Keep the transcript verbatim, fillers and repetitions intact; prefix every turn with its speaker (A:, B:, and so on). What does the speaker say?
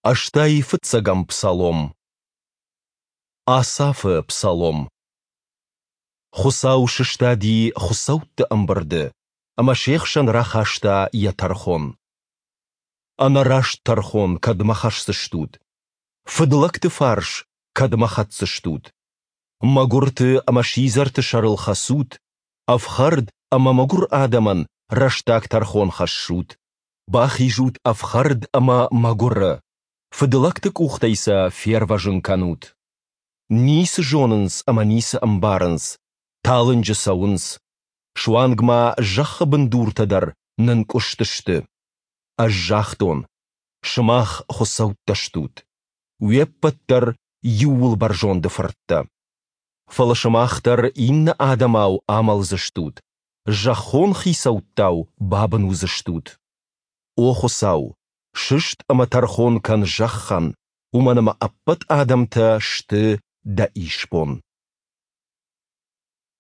A: Ӕстай фыццӕгӕм псалом. Асафы псалом. Хуыцау сыстади хуыцӕутты ӕмбырды ӕмӕ се хсӕн рахаста йӕ тӕрхон. Ӕнӕраст тӕрхон кӕдмӕ хӕсдзыстут? Фыдлӕгты фарс кӕдмӕ хӕцдзыстут? Мӕгуырты ӕмӕ сидзӕрты сӕрыл хӕцут, ӕфхӕрд ӕмӕ мӕгуыр адӕмӕн рӕстаг тӕрхон хӕссут. Бахизут ӕфхӕрд ӕмӕ мӕгуыры, фыдлӕгты къухтӕй сӕ фервӕзын кӕнут. Ницы зонынц ӕмӕ ницы ӕмбарынц, талынджы цӕуынц. Суанг ма зӕххы бындуртӕ дӕр нынкъуыстысты. Ӕз загътон: сымах хуыцӕуттӕ стут, уе ппӕт дӕр Иууылбӕрзонды фырттӕ. Фӕлӕ сымах дӕр иннӕ адӕмау амӕлдзыстут, зӕххон хицӕуттау бабын уыдзыстут. О Хуыцау, сыст ӕмӕ тӕрхон кӕн зӕххӕн, уымӕн ӕмӕ ӕппӕт адӕмтӕ сты Дӕ исбон.